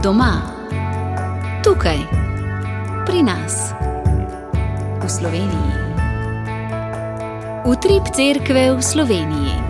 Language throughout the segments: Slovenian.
Doma, tukaj, pri nas, v Sloveniji. Utrip cerkve v Sloveniji.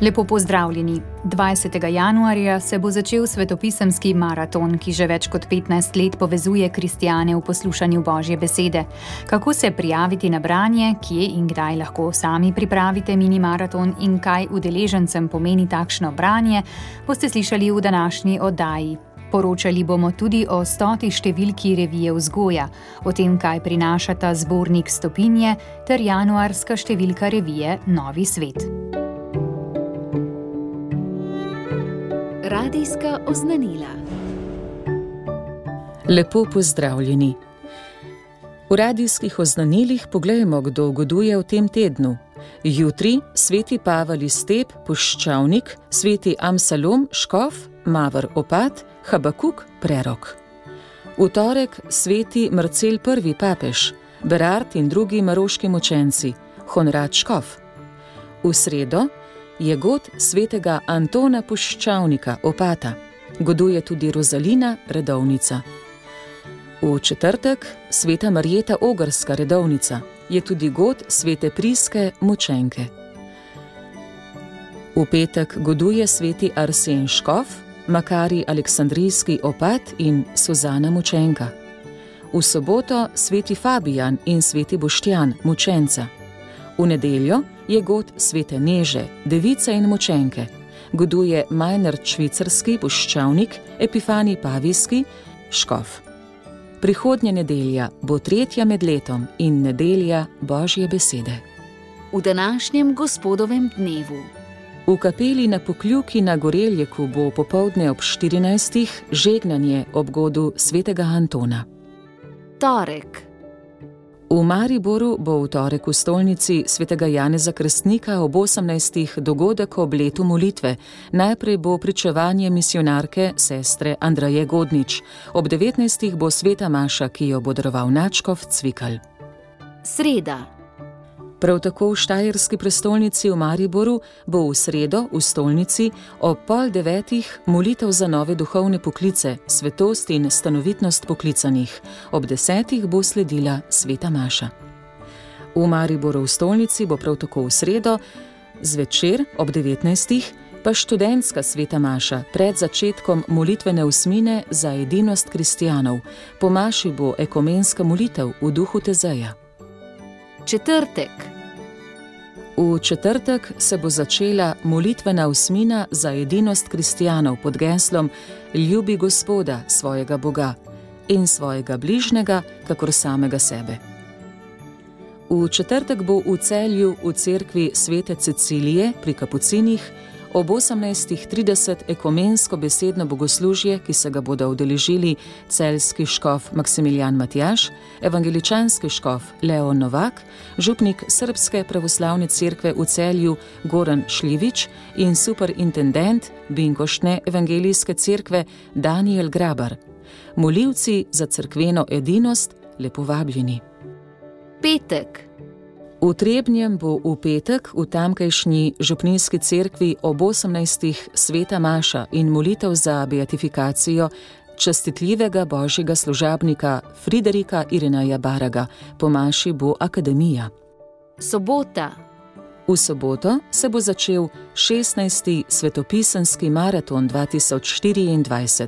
Lepo pozdravljeni. 20. januarja se bo začel svetopisemski maraton, ki že več kot 15 let povezuje kristjane v poslušanju Božje besede. Kako se prijaviti na branje, kje in kdaj lahko sami pripravite mini maraton in kaj udeležencem pomeni takšno branje, boste slišali v današnji oddaji. Poročali bomo tudi o 100. številki revije Vzgoja, o tem, kaj prinašata zbornik Stopinje ter januarska številka revije Novi svet. Radijska oznanila. Lepo pozdravljeni. V radijskih oznanilih poglejmo, kdo goduje v tem tednu. Jutri sveti Pavel iz Steb, puščavnik, sveti Amsalom, škof, Mavr opat, Habakuk, prerok. V torek sveti Marcel I, papež, Berard in drugi maroški mučenci, Honrad škof. V sredo je god svetega Antona Puščavnika, opata. Goduje tudi Rozalina, redovnica. V četrtek sveta Marjeta Ogrska, redovnica. Je tudi god svete Priske, mučenke. V petek goduje sveti Arsen škof, Makari Aleksandrijski opat in Suzana mučenka. V soboto sveti Fabijan in sveti Boštjan, mučenca. V nedeljo je god svete Neže, device in mučenke. Goduje Majnard švicarski, puščavnik, Epifani Pavijski, škof. Prihodnja nedelja bo 3. med letom in nedelja Božje besede. V današnjem gospodovem dnevu. V kapeli na Pokljuki na Goreljeku bo popoldne ob 14. žegnanje ob godu svetega Antona. Torek. V Mariboru bo v torek v stolnici svetega Janeza Krstnika ob 18. dogodek ob letu molitve. Najprej bo pričevanje misijonarke sestre Andraje Godnič. Ob 19. bo sveta maša, ki jo bo daroval nadškof Cvikl. Sreda. Prav tako v štajerski prestolnici v Mariboru bo v sredo v stolnici ob 8:30 molitev za nove duhovne poklice, svetost in stanovitnost poklicanih. Ob 10. bo sledila sveta maša. V Mariboru v stolnici bo prav tako v sredo zvečer ob 19. pa študentska sveta maša pred začetkom molitvene osmine za edinost kristjanov. Po maši bo ekumenska molitev v duhu Tezeja. Četrtek. V četrtek se bo začela molitvena osmina za edinost kristjanov pod geslom Ljubi Gospoda, svojega Boga, in svojega bližnjega, kakor samega sebe. V četrtek bo v Celju v cerkvi svete Cecilije pri Kapucinih ob 18:30 ekumensko besedno bogoslužje, ki se ga bodo udeležili celjski škof Maksimilijan Matjaž, evangeličanski škof Leon Novak, župnik Srbske pravoslavne cerkve v Celju Goran Šljivič in superintendent Binkoštne evangelijske cerkve Daniel Grabar. Molivci za cerkveno edinost lepo vabljeni. Petek. V Trebnjem bo v petek v tamkajšnji župnijski cerkvi ob 18. sveta maša in molitev za beatifikacijo častitljivega božjega služabnika Friderika Irenaja Baraga. Po maši bo akademija. Sobota. V soboto se bo začel 16. svetopisemski maraton 2024.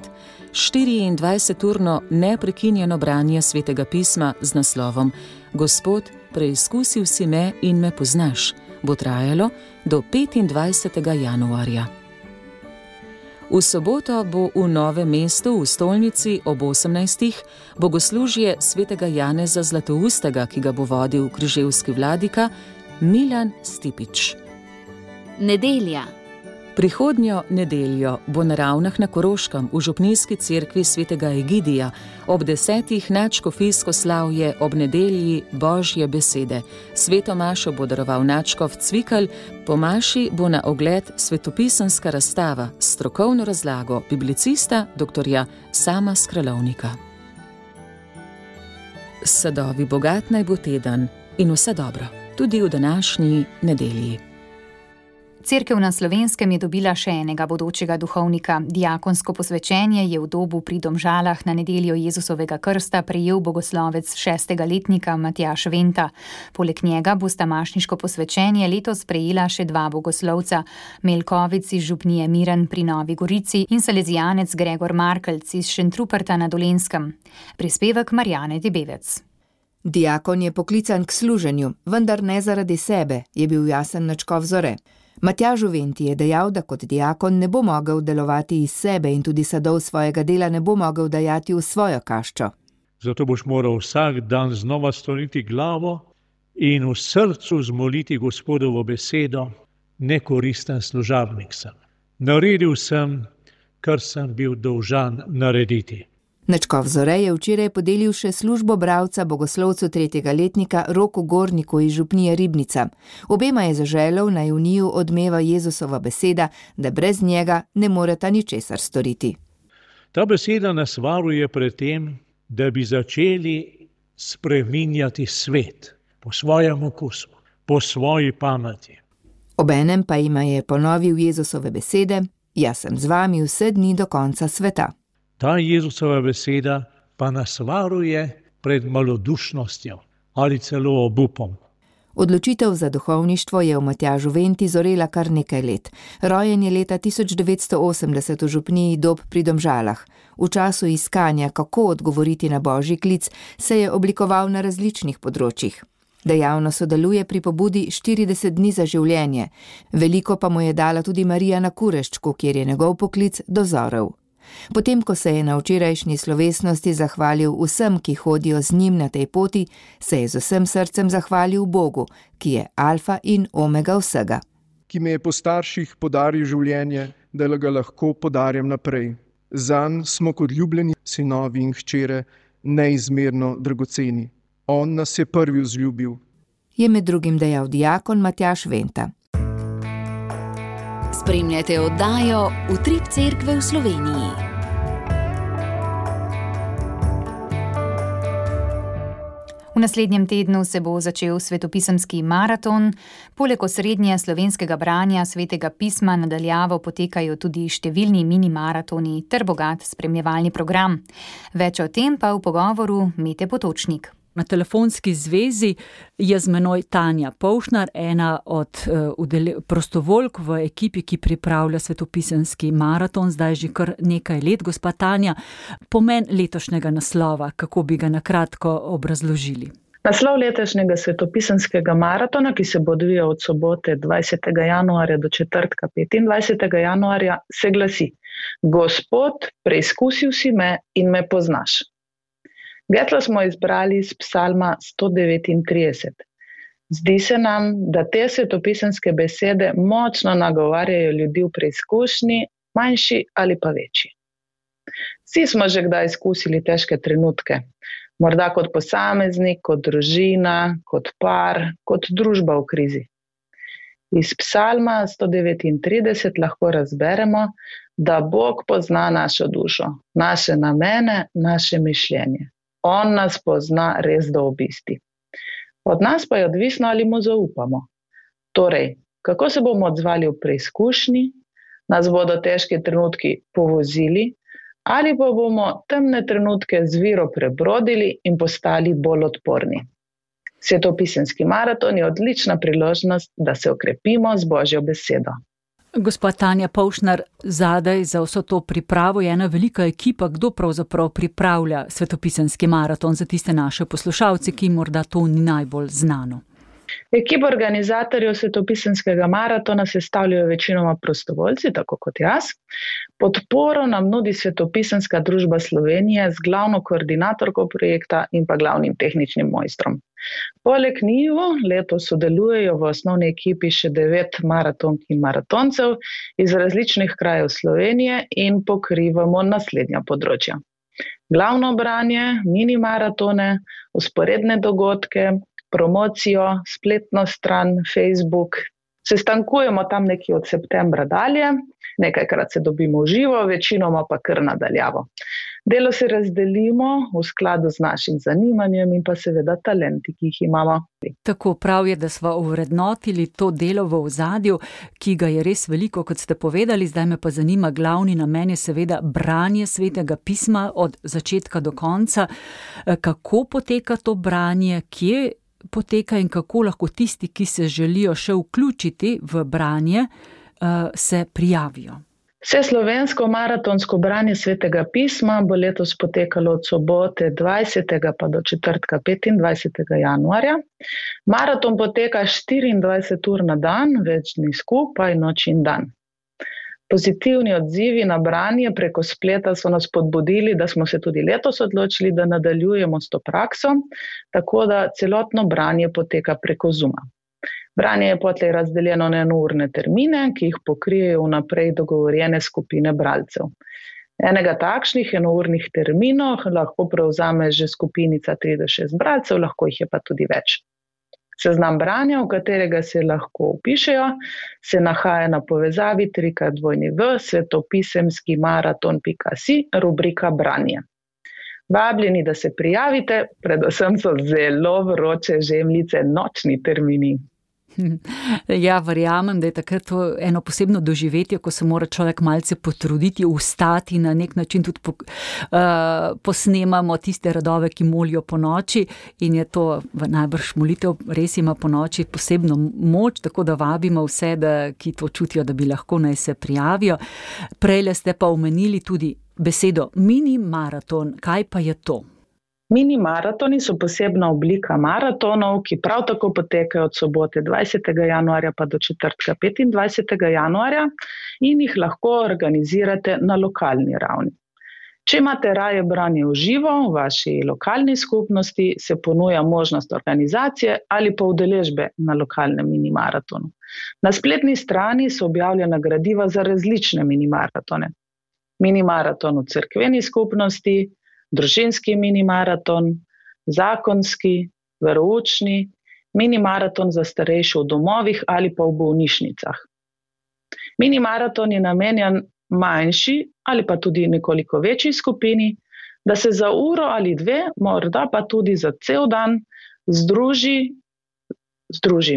24-urno neprekinjeno branje svetega pisma z naslovom Gospod, preizkusil si me in me poznaš, bo trajalo do 25. januarja. V soboto bo v Novem mestu v stolnici ob 18. bogoslužje svetega Janeza Zlatoustega, ki ga bo vodil križevski vladika Milan Stipič. Nedelja. Prihodnjo nedeljo bo na Ravnah na Koroškem v župnijski cerkvi svetega Egidija ob 10. nadškofijsko slavje ob nedelji Božje besede. Sveto mašo bo daroval nadškof Cvikl, po maši bo na ogled svetopisemska razstava s strokovno razlago biblicista dr. Sama Skralovnika. Sadovi bogat naj bo teden in vse dobro, tudi v današnji nedelji. Cerkev na Slovenskem je dobila še enega bodočega duhovnika. Diakonsko posvečenje je v Dobu pri Domžalah na nedeljo Jezusovega krsta prejel bogoslovec 6. letnika Matjaž Venta. Poleg njega bosta mašniško posvečenje letos prejela še dva bogoslovca, Melkovic iz župnije Miren pri Novi Gorici in salezijanec Gregor Markelc iz Šentruperta na Dolenjskem. Prispevek Marjane Debevec. Diakon je poklican k služenju, vendar ne zaradi sebe, je bil jasen nadškof Zore. Matjažu Venti je dejal, da kot diakon ne bo mogel delovati iz sebe in tudi sadov svojega dela ne bo mogel dajati v svojo kaščo. Zato boš moral vsak dan znova storiti glavo in v srcu zmoliti Gospodovo besedo, nekoristen služabnik sem. Naredil sem, kar sem bil dolžan narediti. Nadškof Zore je včeraj podelil še službo bralca bogoslovcu 3. letnika Roku Gorniku iz župnije Ribnica. Obema je zaželel, naj v njiju odmeva Jezusova beseda, da brez njega ne moreta ničesar storiti. Ta beseda nas varuje pred tem, da bi začeli spreminjati svet po svojem okusu, po svoji pameti. Obenem pa jima je ponovil Jezusove besede: "Jaz sem z vami vse dni do konca sveta." Ta Jezusova beseda pa nas varuje pred malodušnostjo ali celo obupom. Odločitev za duhovništvo je v Matjažu Venti zorela kar nekaj let. Rojen je leta 1980 v župniji Dob pri Domžalah. V času iskanja, kako odgovoriti na božji klic, se je oblikoval na različnih področjih. Dejavno sodeluje pri pobudi 40 dni za življenje. Veliko pa mu je dala tudi Marija na Kureščku, kjer je njegov poklic dozorel. Potem, ko se je na včerajšnji slovesnosti zahvalil vsem, ki hodijo z njim na tej poti, se je z vsem srcem zahvalil Bogu, ki je alfa in omega vsega. Ki me je po starših podaril življenje, da ga lahko podarjam naprej. Zanj smo kot ljubljeni sinovi in hčere neizmerno dragoceni. On nas je prvi vzljubil. Je med drugim dejal diakon Matjaž Venta. Spremljate oddajo Utrip cerkve v Sloveniji. V naslednjem tednu se bo začel svetopisemski maraton. Poleg osrednje slovenskega branja svetega pisma nadaljavo potekajo tudi številni mini maratoni ter bogat spremljevalni program. Več o tem pa v pogovoru Mete Potočnik. Na telefonski zvezi je z menoj Tanja Povšnar, ena od prostovoljk v ekipi, ki pripravlja svetopisemski maraton, zdaj že kar nekaj let. Gospa Tanja, pomen letošnjega naslova, kako bi ga na kratko obrazložili? Naslov letošnjega svetopisemskega maratona, ki se bo odvijal od sobote 20. januarja do četrtka 25. januarja, se glasi: Gospod, preizkusil si me in me poznaš. Geslo smo izbrali iz psalma 139. Zdi se nam, da te svetopisemske besede močno nagovarjajo ljudi v preizkušnji, manjši ali pa večji. Vsi smo že kdaj izkusili težke trenutke, morda kot posameznik, kot družina, kot par, kot družba v krizi. Iz psalma 139 lahko razberemo, da Bog pozna našo dušo, naše namene, naše mišljenje. On nas pozna res do obisti. Od nas pa je odvisno, ali mu zaupamo. Torej, kako se bomo odzvali v preizkušnji, nas bodo težki trenutki povozili, ali pa bomo temne trenutke z vero prebrodili in postali bolj odporni. Svetopisemski maraton je odlična priložnost, da se okrepimo z Božjo besedo. Gospa Tanja Povšnar, zadaj za vso to pripravo je ena velika ekipa. Kdo pravzaprav pripravlja svetopisemski maraton za tiste naše poslušalce, ki morda to ni najbolj znano? Ekipa organizatorjev svetopisemskega maratona sestavljajo večinoma prostovoljci, tako kot jaz. Podporo nam nudi Svetopisemska družba Slovenije z glavno koordinatorko projekta in pa glavnim tehničnim mojstrom. Poleg njiju letos sodelujejo v osnovni ekipi še 9 maratonk in maratoncev iz različnih krajev Slovenije in pokrivamo naslednja področja: glavno branje, mini maratone, vzporedne dogodke, promocijo, spletno stran, Facebook. Sestankujemo tam nekje od septembra dalje, nekajkrat se dobimo v živo, večinoma pa kar nadaljavo. Delo se razdelimo v skladu z našim zanimanjem in pa seveda talenti, ki jih imamo. Tako prav je, da smo ovrednotili to delo v ozadju, ki ga je res veliko, kot ste povedali. Zdaj me pa zanima, glavni namen je seveda branje Svetega pisma od začetka do konca. Kako poteka to branje, kje poteka in kako lahko tisti, ki se želijo še vključiti v branje, se prijavijo? Vseslovensko maratonsko branje Svetega pisma bo letos potekalo od sobote 20. pa do četrtka 25. januarja. Maraton poteka 24 ur na dan, več dni skupaj, noč in dan. Pozitivni odzivi na branje preko spleta so nas spodbudili, da smo se tudi letos odločili, da nadaljujemo s to prakso, tako da celotno branje poteka preko Zooma. Branje je potlej razdeljeno na enourne termine, ki jih pokrijejo vnaprej dogovorjene skupine bralcev. Enega takšnih enournih terminov lahko prevzame že skupinica 3 do 6 bralcev, lahko jih je pa tudi več. Seznam branja, v katerega se lahko vpišejo, se nahaja na povezavi www.svetopisemskimaraton.si, rubrika branje. Vabljeni, da se prijavite, predvsem so zelo vroče žemljice, nočni termini. Ja, verjamem, da je takrat to eno posebno doživetje, ko se mora človek malce potruditi, vstati, na nek način tudi posnemamo tiste radove, ki molijo po noči, in je to najbrž molitev, res ima po noči posebno moč, tako da vabimo vse, ki to čutijo, da bi lahko naj se prijavijo. Prejle ste pa omenili tudi besedo mini maraton. Kaj pa je to? Mini maratoni so posebna oblika maratonov, ki prav tako potekajo od sobote 20. januarja pa do četrtka 25. januarja in jih lahko organizirate na lokalni ravni. Če imate raje branje v živo v vaši lokalni skupnosti, se ponuja možnost organizacije ali pa udeležbe na lokalnem mini maratonu. Na spletni strani so objavljena gradiva za različne mini maratone. Mini maraton v cerkveni skupnosti, družinski mini maraton, zakonski, veroučni, mini maraton za starejše v domovih ali pa v bolnišnicah. Mini maraton je namenjen manjši ali pa tudi nekoliko večji skupini, da se za uro ali dve, morda pa tudi za cel dan, združi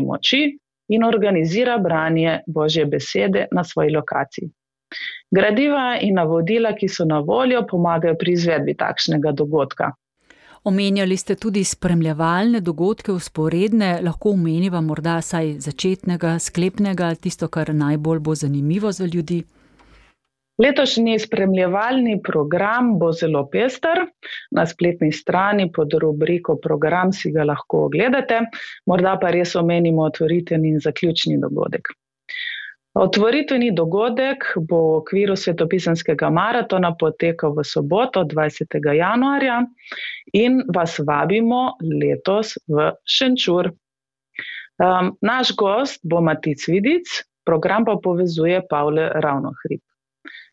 moči in organizira branje Božje besede na svoji lokaciji. Gradiva in navodila, ki so na voljo, pomagajo pri izvedbi takšnega dogodka. Omenjali ste tudi spremljevalne dogodke, vzporedne, lahko omeniva morda saj začetnega, sklepnega, tisto, kar najbolj bo zanimivo za ljudi. Letošnji spremljevalni program bo zelo pester. Na spletni strani pod rubriko program si ga lahko ogledate, morda pa res omenimo otvoritveni in zaključni dogodek. Otvoritveni dogodek bo v okviru svetopisemskega maratona potekal v soboto 20. januarja in vas vabimo letos v Šenčur. Naš gost bo Matic Vidic, program pa povezuje Pavle Ravnohrib.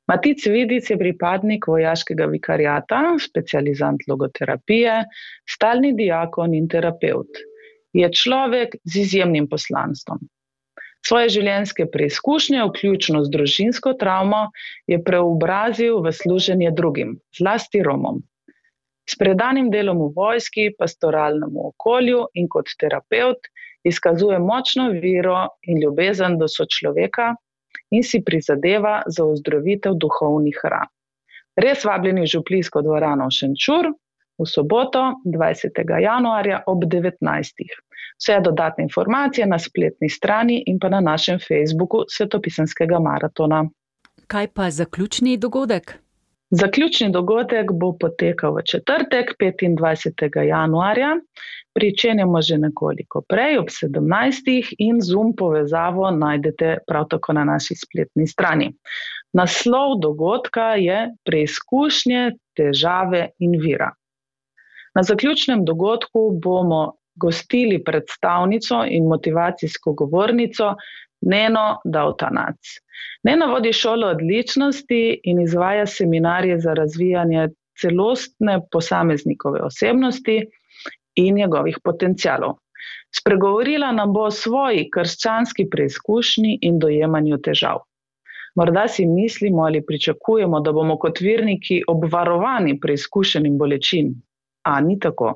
Matic Vidic je pripadnik vojaškega vikariata, specializant logoterapije, stalni diakon in terapevt. Je človek z izjemnim poslanstvom. Svoje življenjske preizkušnje, vključno z družinsko travmo, je preobrazil v služenje drugim, zlasti Romom. S predanim delom v vojski, pastoralnemu okolju in kot terapevt izkazuje močno vero in ljubezen do sočloveka in si prizadeva za ozdravitev duhovnih ran. Res vabljeni v župlijsko dvorano v Šenčur v soboto 20. januarja ob 19. Vse dodatne informacije na spletni strani in pa na našem Facebooku Svetopisemskega maratona. Kaj pa zaključni dogodek? Zaključni dogodek bo potekal v četrtek 25. januarja. Pričenjamo že nekoliko prej, ob 17. in Zoom povezavo najdete prav tako na naši spletni strani. Naslov dogodka je Preizkušnje, težave in vira. Na zaključnem dogodku bomo gostili predstavnico in motivacijsko govornico Neno Davtanac. Nena vodi šolo odličnosti in izvaja seminarje za razvijanje celostne posameznikove osebnosti in njegovih potencialov. Spregovorila nam bo o svoji krščanski preizkušnji in dojemanju težav. Morda si mislimo ali pričakujemo, da bomo kot verniki obvarovani preizkušenjem bolečin, a ni tako.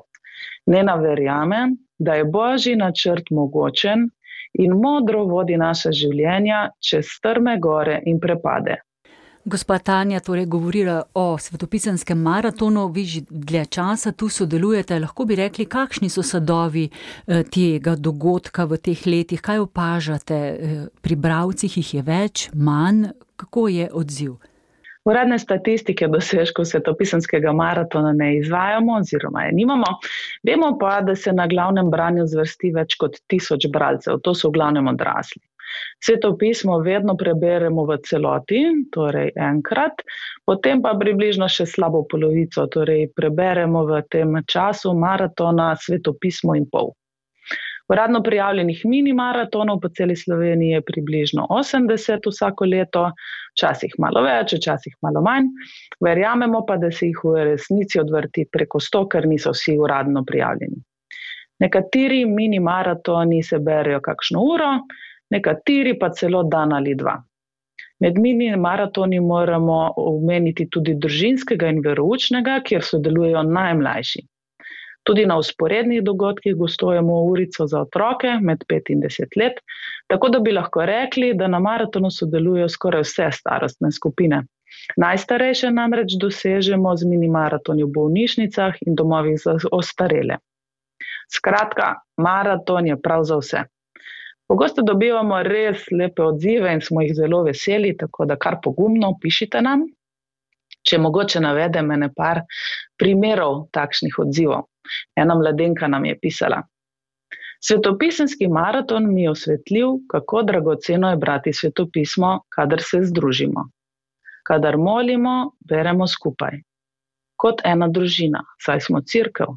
Nena verjame, da je Božji načrt mogočen in modro vodi naša življenja čez strme gore in prepade. Gospa Tanja torej govorila o svetopisenskem maratonu, vi že dlje časa tu sodelujete, lahko bi rekli, kakšni so sadovi tega dogodka v teh letih, kaj opažate, pri bralcih jih je več, manj, kako je odziv? Uradne statistike dosežkov svetopisenskega maratona ne izvajamo oziroma je nimamo, vemo pa, da se na glavnem branju zvrsti več kot 1000 bralcev, to so v glavnem odrasli. Svetopismo vedno preberemo v celoti, torej enkrat, potem pa približno še slabo polovico, torej preberemo v tem času maratona svetopismo in pol. Uradno prijavljenih mini maratonov po celi Sloveniji je približno 80 vsako leto, včasih malo več, včasih malo manj. Verjamemo pa, da se jih v resnici odvrti preko 100, ker niso vsi uradno prijavljeni. Nekateri mini maratoni se berejo kakšno uro, nekateri pa celo dan ali dva. Med mini maratoni moramo omeniti tudi družinskega in veroučnega, kjer sodelujejo najmlajši. Tudi na vzporednih dogodkih gostujemo urico za otroke med 5 in 10 let, tako da bi lahko rekli, da na maratonu sodelujejo skoraj vse starostne skupine. Najstarejše namreč dosežemo z mini maratoni v bolnišnicah in domovih za ostarele. Skratka, maraton je prav za vse. Pogosto dobivamo res lepe odzive in smo jih zelo veseli, tako da kar pogumno pišite nam. Če mogoče navedem ene par primerov takšnih odzivov. Ena mladenka nam je pisala: Svetopisenski maraton mi je osvetlil, kako dragoceno je brati svetopismo, kadar se združimo. Kadar molimo, beremo skupaj. Kot ena družina, saj smo cerkev.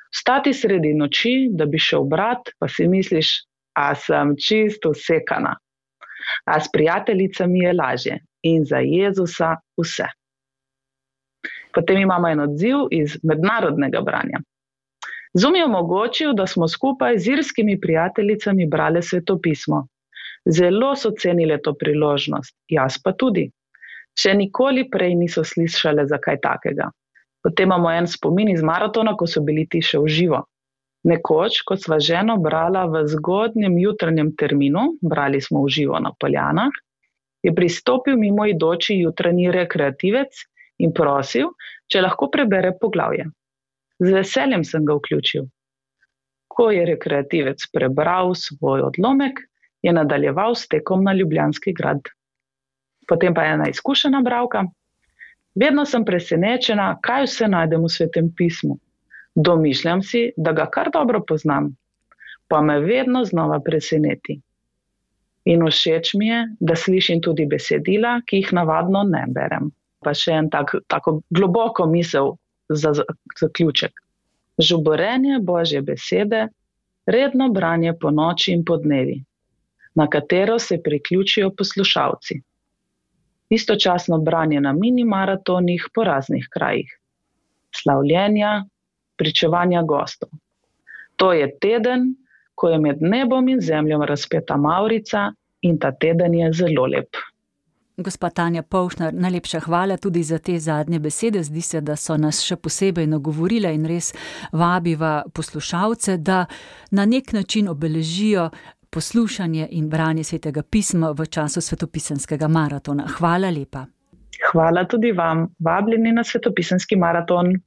Vstati sredi noči, da bi šel brat, pa si misliš, a sem čisto usekana. A s prijateljicami je lažje in za Jezusa vse. Potem imamo en odziv iz mednarodnega branja. Zoom je omogočil, da smo skupaj z irskimi prijateljicami brali svetopismo. Zelo so cenile to priložnost, jaz pa tudi. Še nikoli prej niso slišale za kaj takega. Potem imamo en spomin iz maratona, ko so bili ti še v živo. Nekoč, ko sva ženo brala v zgodnjem jutranjem terminu, brali smo v živo na Poljanah, je pristopil mimoidoči jutranji rekreativec in prosil, če lahko prebere poglavje. Z veseljem sem ga vključil. Ko je rekreativec prebral svoj odlomek, je nadaljeval s tekom na Ljubljanski grad. Potem pa ena izkušena bralka. Vedno sem presenečena, kaj vse najdem v Svetem pismu. Domišljam si, da ga kar dobro poznam, pa me vedno znova preseneti. In všeč mi je, da slišim tudi besedila, ki jih navadno ne berem. Pa še en tako globoko misel za zaključek. Žuborenje Božje besede, redno branje po noči in po dnevi, na katero se priključijo poslušalci. Istočasno branje na mini maratonih po raznih krajih. Slavljenja, pričevanja gostov. To je teden, ko je med nebom in zemljom razpeta mavrica in ta teden je zelo lep. Gospa Tanja Povšnar, najlepša hvala tudi za te zadnje besede. Zdi se, da so nas še posebej nagovorile in res vabiva poslušalce, da na nek način obeležijo poslušanje in branje Svetega pisma v času svetopisenskega maratona. Hvala lepa. Hvala tudi vam. Vabljeni na svetopisenski maraton.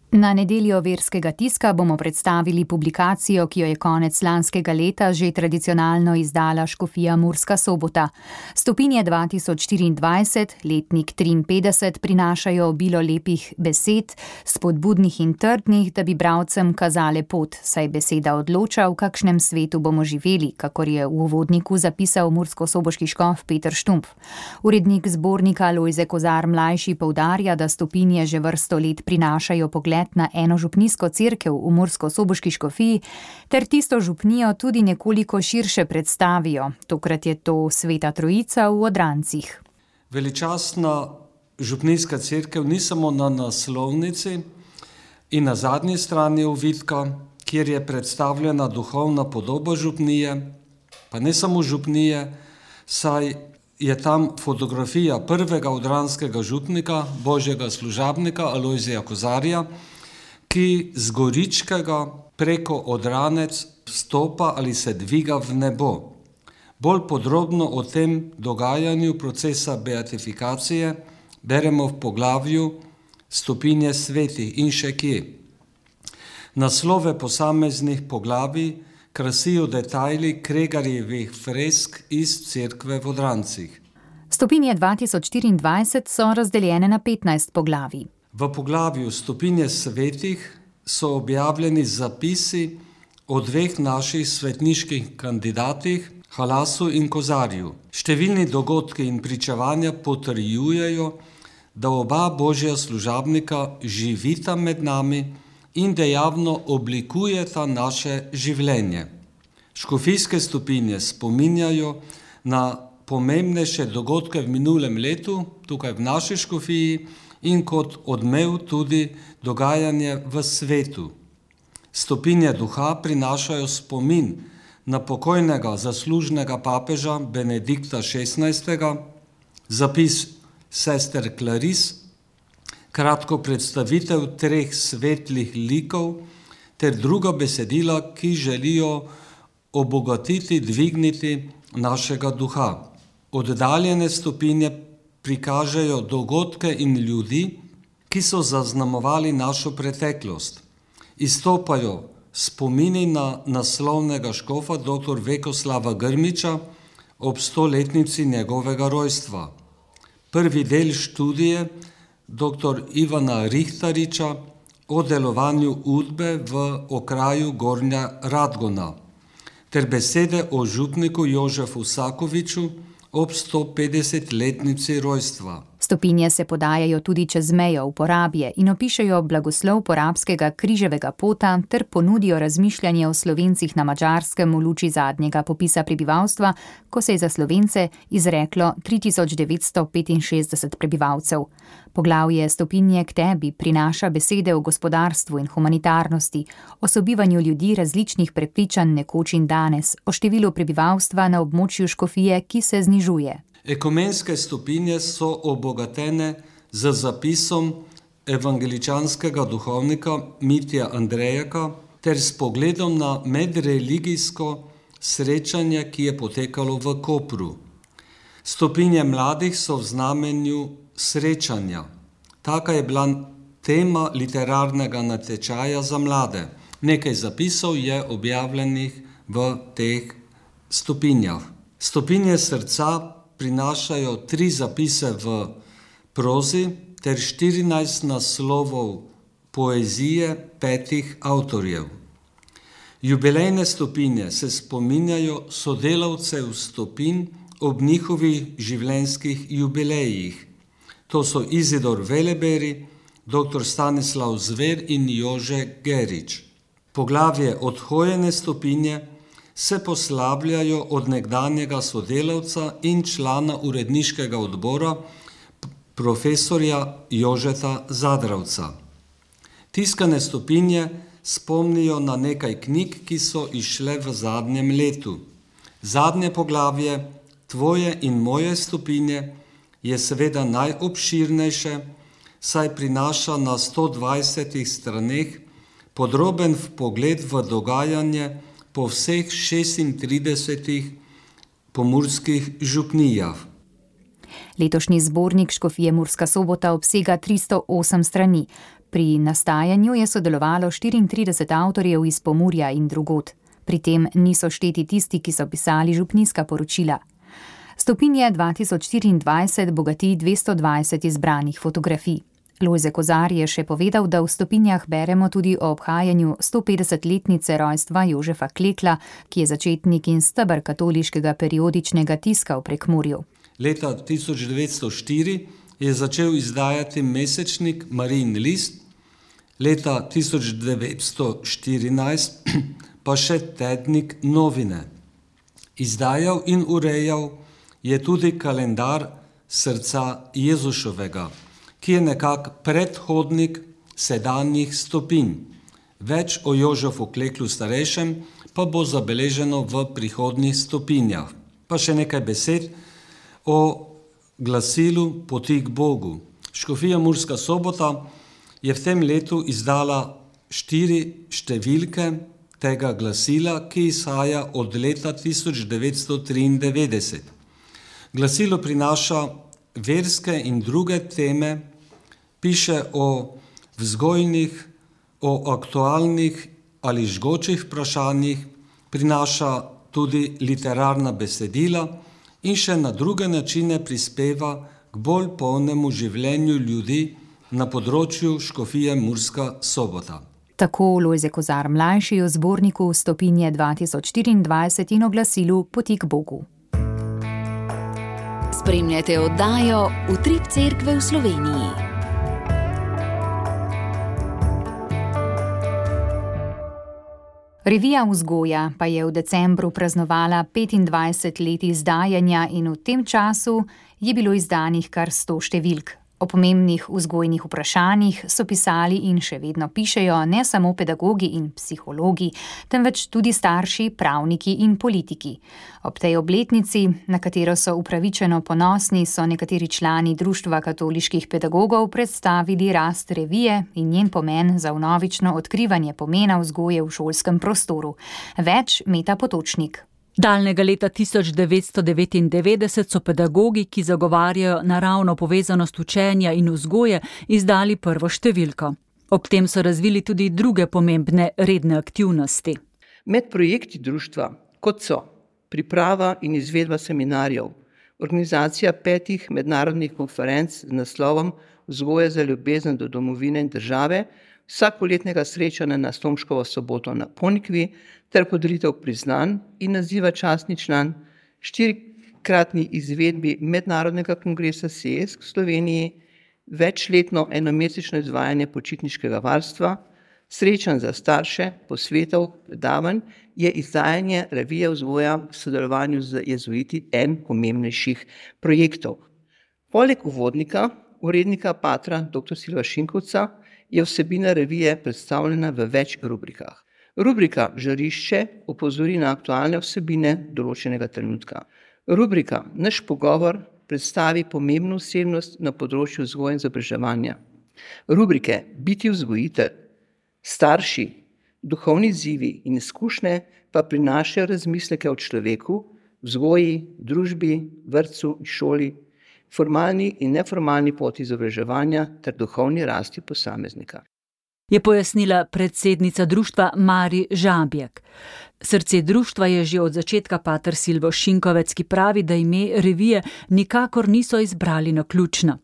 Na nedeljo verskega tiska bomo predstavili publikacijo, ki jo je konec lanskega leta že tradicionalno izdala škofija Murska Sobota. Stopinje 2024, letnik 53, prinašajo obilo lepih besed, spodbudnih in trdnih, da bi bralcem kazale pot, saj beseda odloča, v kakšnem svetu bomo živeli, kakor je v uvodniku zapisal murskosoboški škof Peter Štumpf. Urednik zbornika Lojze Kozar mlajši poudarja, da stopinje že vrsto let prinašajo pogled na eno župnijsko cerkev v murskosoboški škofiji, ter tisto župnijo tudi nekoliko širše predstavijo. Tokrat je to Sveta Trojica v Odrancih. Veličastna župnijska cerkev ni samo na naslovnici in na zadnji strani ovitka, kjer je predstavljena duhovna podoba župnije, pa ne samo župnije, saj je tam fotografija prvega odranskega župnika, božjega služabnika Alojzija Kozarja, ki z Goričkega preko Odranec vstopa ali se dviga v nebo. Bolj podrobno o tem dogajanju procesa beatifikacije beremo v poglavju Stopinje svetih in še kje. Naslove posameznih poglavij krasijo detajli Kregarjevih fresk iz cerkve v Odrancih. Stopinje 2024 so razdeljene na 15 poglavij. V poglavju Stopinje svetih so objavljeni zapisi o dveh naših svetniških kandidatih, Halasu in Kozarju. Številni dogodki in pričevanja potrjujejo, da oba božja služabnika živita med nami in dejavno oblikujeta naše življenje. Škofijske stopinje spominjajo na pomembnejše dogodke v minulem letu, tukaj v naši škofiji, in kot odmev tudi dogajanje v svetu. Stopinje duha prinašajo spomin na pokojnega zaslužnega papeža Benedikta XVI., zapis sester Claris, kratko predstavitev treh svetlih likov ter druga besedila, ki želijo obogatiti, dvigniti našega duha. Oddaljene stopinje prikažejo dogodke in ljudi, ki so zaznamovali našo preteklost. Izstopajo spomini na naslovnega škofa dr. Vekoslava Grmiča ob 100-letnici njegovega rojstva. Prvi del študije dr. Ivana Rihtariča o delovanju Udbe v okraju Gornja Radgona ter besede o župniku Jožefu Sakoviču ob 150-letnici rojstva. Stopinje se podajajo tudi čez mejo v Porabje in opišejo blagoslov porabskega križevega pota ter ponudijo razmišljanje o Slovencih na Madžarskem v luči zadnjega popisa prebivalstva, ko se je za Slovence izreklo 3965 prebivalcev. Poglavje Stopinje k tebi prinaša besede o gospodarstvu in humanitarnosti, o sobivanju ljudi različnih prepričanj nekoč in danes, o številu prebivalstva na območju škofije, ki se znižuje. Ekumenske stopinje so obogatene z zapisom evangeličanskega duhovnika Mitja Andrejaka ter s pogledom na medreligijsko srečanje, ki je potekalo v Kopru. Stopinje mladih so v znamenju srečanja. Taka je bila tema literarnega natečaja za mlade. Nekaj zapisov je objavljenih v teh stopinjah. Stopinje srca prinašajo 3 zapise v prozi ter 14 naslovov poezije 5 avtorjev. Jubilejne stopinje se spominjajo sodelavcev stopinj ob njihovih življenjskih jubilejih. To so Izidor Veleberi, dr. Stanislav Zver in Jože Gerič. Poglavje Odhojene stopinje se poslavljajo od nekdanjega sodelavca in člana uredniškega odbora profesorja Jožeta Zadravca. Tiskane stopinje spomnijo na nekaj knjig, ki so izšle v zadnjem letu. Zadnje poglavje Tvoje in moje stopinje je seveda najobširnejše, saj prinaša na 120 straneh podroben vpogled v dogajanje po vseh 36 pomurskih župnijah. Letošnji zbornik Škofije Murska Sobota obsega 308 strani. Pri nastajanju je sodelovalo 34 avtorjev iz Pomurja in drugod. Pri tem niso šteti tisti, ki so pisali župnijska poročila. Stopinje 2024 bogati 220 izbranih fotografij. Lojze Kozar je še povedal, da v stopinjah beremo tudi o obhajanju 150-letnice rojstva Jožefa Klekla, ki je začetnik in steber katoliškega periodičnega tiska v Prekmurju. Leta 1904 je začel izdajati mesečnik Marijin list, leta 1914 pa še tednik Novine. Izdajal in urejal je tudi kalendar srca Jezušovega, ki je nekak predhodnik sedanjih stopinj. Več o Jožefu Kleklu starejšem pa bo zabeleženo v prihodnjih stopinjah. Pa še nekaj besed o glasilu Poti k Bogu. Škofija Murska Sobota je v tem letu izdala 4 številke tega glasila, ki izhaja od leta 1993. Glasilo prinaša verske in druge teme, piše o vzgojnih, o aktualnih ali žgočih vprašanjih, prinaša tudi literarna besedila in še na druge načine prispeva k bolj polnemu življenju ljudi na področju škofije Murska Sobota. Tako Lojze Kozar mlajši o zborniku Stopinje 2024 in o glasilu Poti k Bogu. Spremljate oddajo Utrip Cerkve v Sloveniji. Revija Vzgoja pa je v decembru praznovala 25 let izdajanja in v tem času je bilo izdanih kar 100 številk. O pomembnih vzgojnih vprašanjih so pisali in še vedno pišejo ne samo pedagogi in psihologi, temveč tudi starši, pravniki in politiki. Ob tej obletnici, na katero so upravičeno ponosni, so nekateri člani Društva katoliških pedagogov predstavili rast revije in njen pomen za vnovično odkrivanje pomena vzgoje v šolskem prostoru. Več Meta Potočnik. Daljnega leta 1999 so pedagogi, ki zagovarjajo naravno povezanost učenja in vzgoje, izdali prvo številko. Ob tem so razvili tudi druge pomembne redne aktivnosti. Med projekti društva, kot so priprava in izvedba seminarjev, organizacija 5 mednarodnih konferenc z naslovom Vzgoja za ljubezen do domovine in države, vsakoletnega srečanja na Stomškovo soboto na Ponikvi ter podelitev priznanj in naziva častni član, 4-kratni izvedbi mednarodnega kongresa SESK v Sloveniji, večletno enomesečno izvajanje počitniškega varstva, srečanj za starše, posvetov, predavanj, je izdajanje revije Vzgoja v sodelovanju z jezuiti en pomembnejših projektov. Poleg uvodnika, urednika patra dr. Silva Šinkovca, je vsebina revije predstavljena v več rubrikah. Rubrika Žarišče opozori na aktualne vsebine določenega trenutka. Rubrika Naš pogovor predstavi pomembno osebnost na področju vzgoje in izobraževanja. Rubrike Biti vzgojitelj, Starši, Duhovni izzivi in izkušnje pa prinašajo razmisleke o človeku, vzgoji, družbi, vrtcu in šoli, formalni in neformalni poti izobraževanja ter duhovni rasti posameznika. Je pojasnila predsednica društva Mari Žabjek. Srce društva je že od začetka pater Silvo Šinkovec, ki pravi, da ime revije nikakor niso izbrali naključno.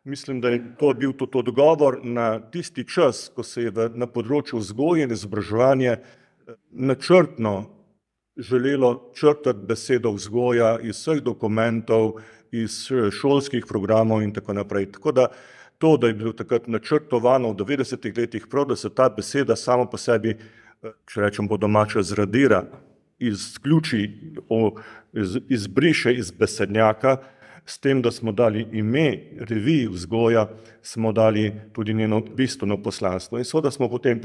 Mislim, da je to bil tudi odgovor na tisti čas, ko se je na področju vzgoje in izobraževanja načrtno želelo črtati besedo vzgoja iz vseh dokumentov, iz šolskih programov in tako naprej. Tako da to, da je bilo takrat načrtovano v 90-ih letih prav, da se ta beseda samo po sebi, če rečem po domače, zradira, izključi, izbriše iz besednjaka, s tem, da smo dali ime reviji Vzgoja, smo dali tudi njeno bistveno poslanstvo. In seveda smo potem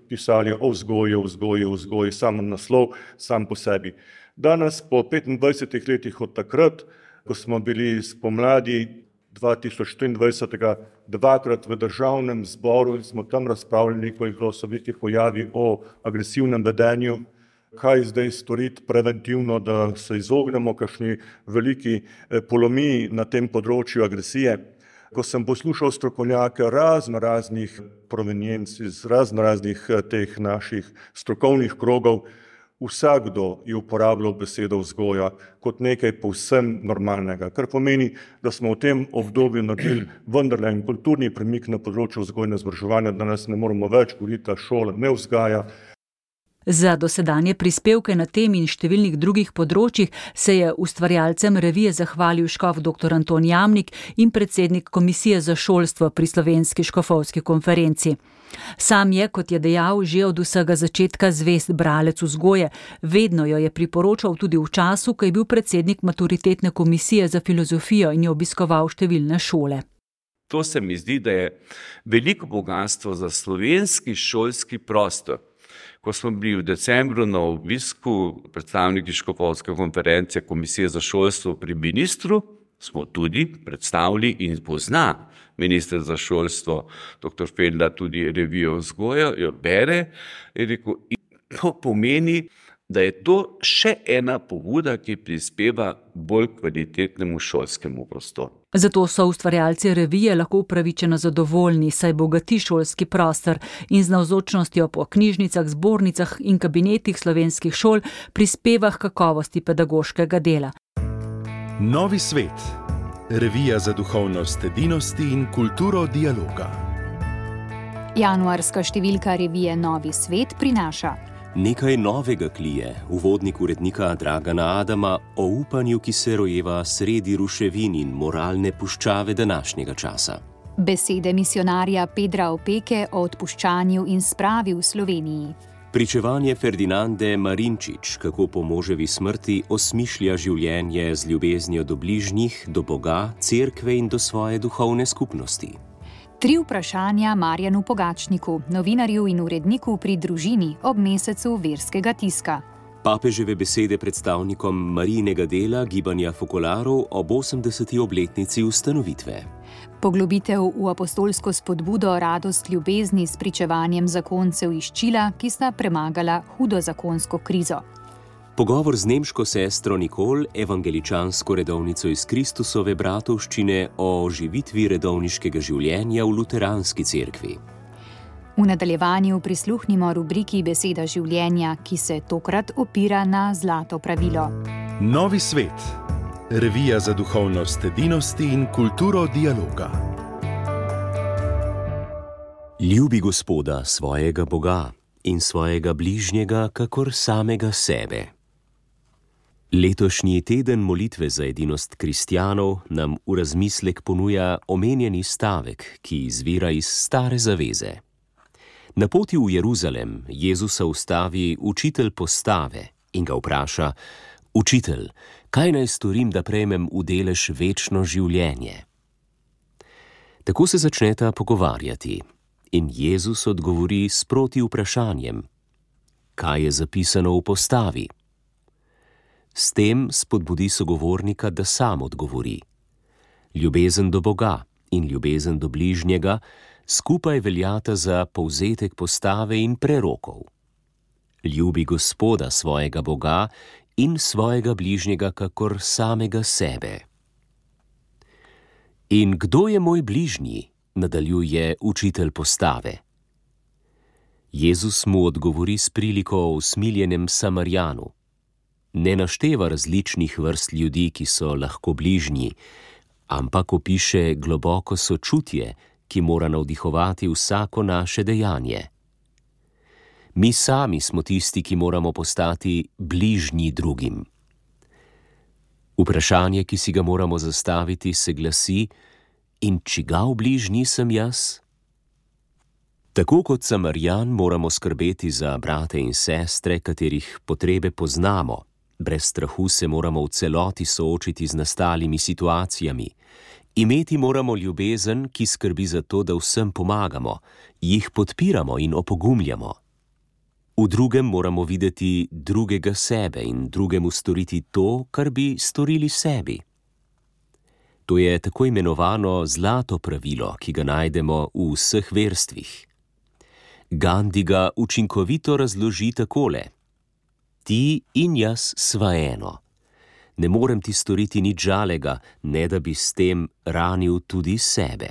pisali o vzgoji, samo naslov, sam po sebi. Danes, po 25 letih od takrat, ko smo bili spomladi 2024 dvakrat v državnem zboru in smo tam razpravljali, ko so bili pojavi o agresivnem vedenju, kaj zdaj storiti preventivno, da se izognemo kakšni veliki polomiji na tem področju agresije. Ko sem poslušal strokovnjake raznih provenienc iz raznih teh naših strokovnih krogov, vsakdo je uporabljal besedo vzgoja kot nekaj povsem normalnega, kar pomeni, da smo v tem obdobju naredili vendarle en kulturni premik na področju vzgoje in izobraževanja, da nas ne moramo več govoriti, da šola ne vzgaja. Za dosedanje prispevke na tem in številnih drugih področjih se je ustvarjalcem revije zahvalil škof dr. Anton Jamnik in predsednik Komisije za šolstvo pri Slovenski škofovski konferenci. Sam je, kot je dejal, že od vsega začetka zvest bralec vzgoje, vedno jo je priporočal tudi v času, ko je bil predsednik maturitetne komisije za filozofijo in je obiskoval številne šole. To se mi zdi, da je veliko bogatstvo za slovenski šolski prostor. Ko smo bili v decembru na obisku predstavniki škofovske konference Komisije za šolstvo pri ministru, smo tudi predstavili in pozna minister za šolstvo, dr. Fendla, tudi revijo vzgoja, jo bere, in rekel, in to pomeni, da je to še ena pobuda, ki prispeva bolj kvalitetnemu šolskemu prostoru. Zato so ustvarjalci revije lahko upravičeno zadovoljni, saj bogati šolski prostor in z navzočnostjo po knjižnicah, zbornicah in kabinetih slovenskih šol prispeva k kakovosti pedagoškega dela. Novi svet. Revija za duhovnost edinosti in kulturo dialoga. Januarska številka revije Novi svet prinaša nekaj novega klije, uvodnik urednika Dragana Adama o upanju, ki se rojeva sredi ruševin in moralne puščave današnjega časa. Besede misionarja Pedra Opeke o odpuščanju in spravi v Sloveniji. Pričevanje Ferdinande Marinčič, kako po moževi smrti osmišlja življenje z ljubeznijo do bližnjih, do Boga, cerkve in do svoje duhovne skupnosti. 3 vprašanja Marjanu Pogačniku, novinarju in uredniku pri Družini ob mesecu verskega tiska. Papeževe besede predstavnikom Marijinega dela Gibanja Fokolarov ob 80. obletnici ustanovitve. Poglobitev v apostolsko spodbudo radost ljubezni s pričevanjem zakoncev iz Čila, ki sta premagala hudo zakonsko krizo. Pogovor z nemško sestro Nikol, evangeličansko redovnico iz Kristusove bratovščine o oživitvi redovniškega življenja v luteranski cerkvi. V nadaljevanju prisluhnimo rubriki Beseda življenja, ki se tokrat opira na zlato pravilo. Novi svet. Revija za duhovnost edinosti in kulturo dialoga. Ljubi Gospoda, svojega Boga, in svojega bližnjega, kakor samega sebe. Letošnji teden molitve za edinost kristjanov nam v razmislek ponuja omenjeni stavek, ki izvira iz Stare zaveze. Na poti v Jeruzalem Jezusa ustavi učitelj postave in ga vpraša: Učitelj, kaj naj storim, da prejmem v delež večno življenje? Tako se začneta pogovarjati in Jezus odgovori s proti vprašanjem: Kaj je zapisano v postavi? S tem spodbudi sogovornika, da sam odgovori. Ljubezen do Boga in ljubezen do bližnjega skupaj veljata za povzetek postave in prerokov. Ljubi Gospoda, svojega Boga, in svojega bližnjega kakor samega sebe. In kdo je moj bližnji? Nadaljuje učitelj postave. Jezus mu odgovori s priliko o usmiljenem Samarijanu. Ne našteva različnih vrst ljudi, ki so lahko bližnji, ampak opiše globoko sočutje, ki mora navdihovati vsako naše dejanje. Mi sami smo tisti, ki moramo postati bližnji drugim. Vprašanje, ki si ga moramo zastaviti, se glasi: in čigav bližnji sem jaz? Tako kot Samarijan moramo skrbeti za brate in sestre, katerih potrebe poznamo. Brez strahu se moramo v celoti soočiti z nastalimi situacijami. Imeti moramo ljubezen, ki skrbi za to, da vsem pomagamo, jih podpiramo in opogumljamo. V drugem moramo videti drugega sebe in drugemu storiti to, kar bi storili sebi. To je tako imenovano zlato pravilo, ki ga najdemo v vseh verstvih. Gandhi ga učinkovito razloži takole: Ti in jaz sva eno. Ne morem ti storiti nič žalega, ne da bi s tem ranil tudi sebe.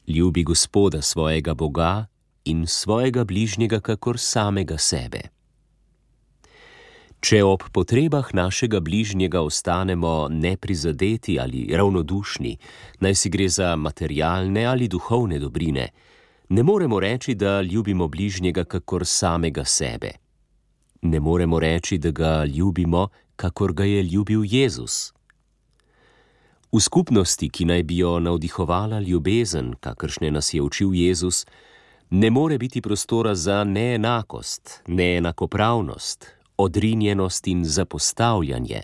Ljubi Gospoda, svojega Boga, in svojega bližnjega kakor samega sebe. Če ob potrebah našega bližnjega ostanemo neprizadeti ali ravnodušni, naj si gre za materialne ali duhovne dobrine, ne moremo reči, da ljubimo bližnjega kakor samega sebe. Ne moremo reči, da ga ljubimo, kakor ga je ljubil Jezus. V skupnosti, ki naj bi jo navdihovala ljubezen, kakršne nas je učil Jezus, ne more biti prostora za neenakost, neenakopravnost, odrinjenost in zapostavljanje.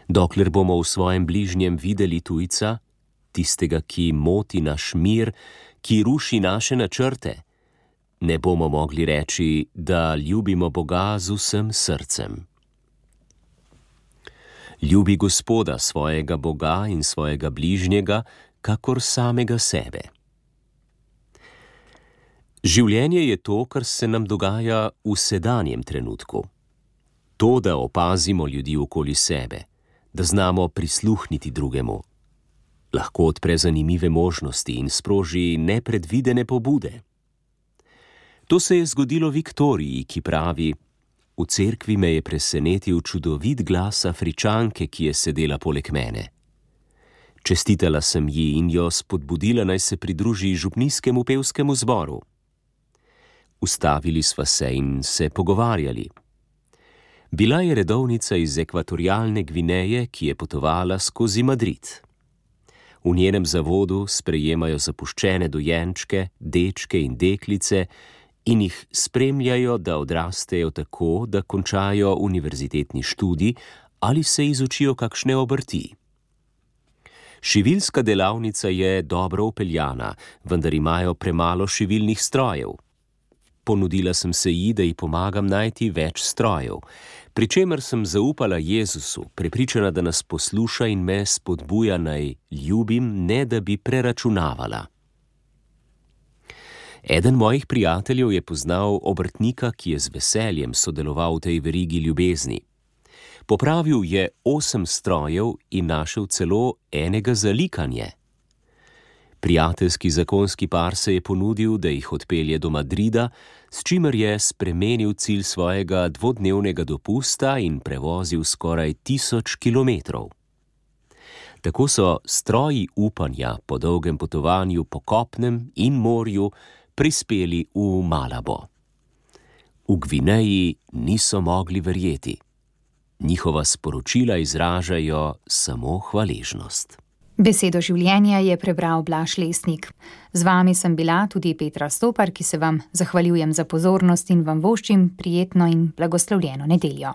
Dokler bomo v svojem bližnjem videli tujca, tistega, ki moti naš mir, ki ruši naše načrte, ne bomo mogli reči, da ljubimo Boga z vsem srcem. Ljubi Gospoda, svojega Boga in svojega bližnjega, kakor samega sebe. Življenje je to, kar se nam dogaja v sedanjem trenutku. To, da opazimo ljudi okoli sebe, da znamo prisluhniti drugemu, lahko odpre zanimive možnosti in sproži nepredvidene pobude. To se je zgodilo Viktoriji, ki pravi: v cerkvi me je presenetil čudovit glas Afričanke, ki je sedela poleg mene. Čestitala sem ji in jo spodbudila, naj se pridruži župnijskemu pevskemu zboru. Ustavili sva se in se pogovarjali. Bila je redovnica iz ekvatorialne Gvineje, ki je potovala skozi Madrid. V njenem zavodu sprejemajo zapuščene dojenčke, dečke in deklice in jih spremljajo, da odrastejo tako, da končajo univerzitetni študij ali se izučijo kakšne obrti. Šiviljska delavnica je dobro upeljana, vendar imajo premalo šivilnih strojev. Ponudila sem se ji, da ji pomagam najti več strojev, pri čemer sem zaupala Jezusu, prepričana, da nas posluša in me spodbuja, naj ljubim, ne da bi preračunavala. Eden mojih prijateljev je poznal obrtnika, ki je z veseljem sodeloval v tej verigi ljubezni. Popravil je 8 strojev in našel celo enega za likanje. Prijateljski zakonski par se je ponudil, da jih odpelje do Madrida, s čimer je spremenil cilj svojega 2-dnevnega dopusta in prevozil skoraj 1000 kilometrov. Tako so stroji upanja po dolgem potovanju po kopnem in morju prispeli v Malabo. V Gvineji niso mogli verjeti. Njihova sporočila izražajo samo hvaležnost. Besedo življenja je prebral Blaž Lesnik. Z vami sem bila tudi Petra Stopar, ki se vam zahvaljujem za pozornost in vam voščim prijetno in blagoslovljeno nedeljo.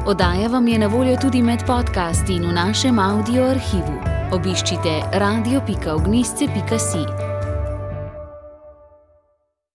Oddaja vam je na voljo tudi med podcasti in v našem audio arhivu. Obiščite radio.ognisce.si.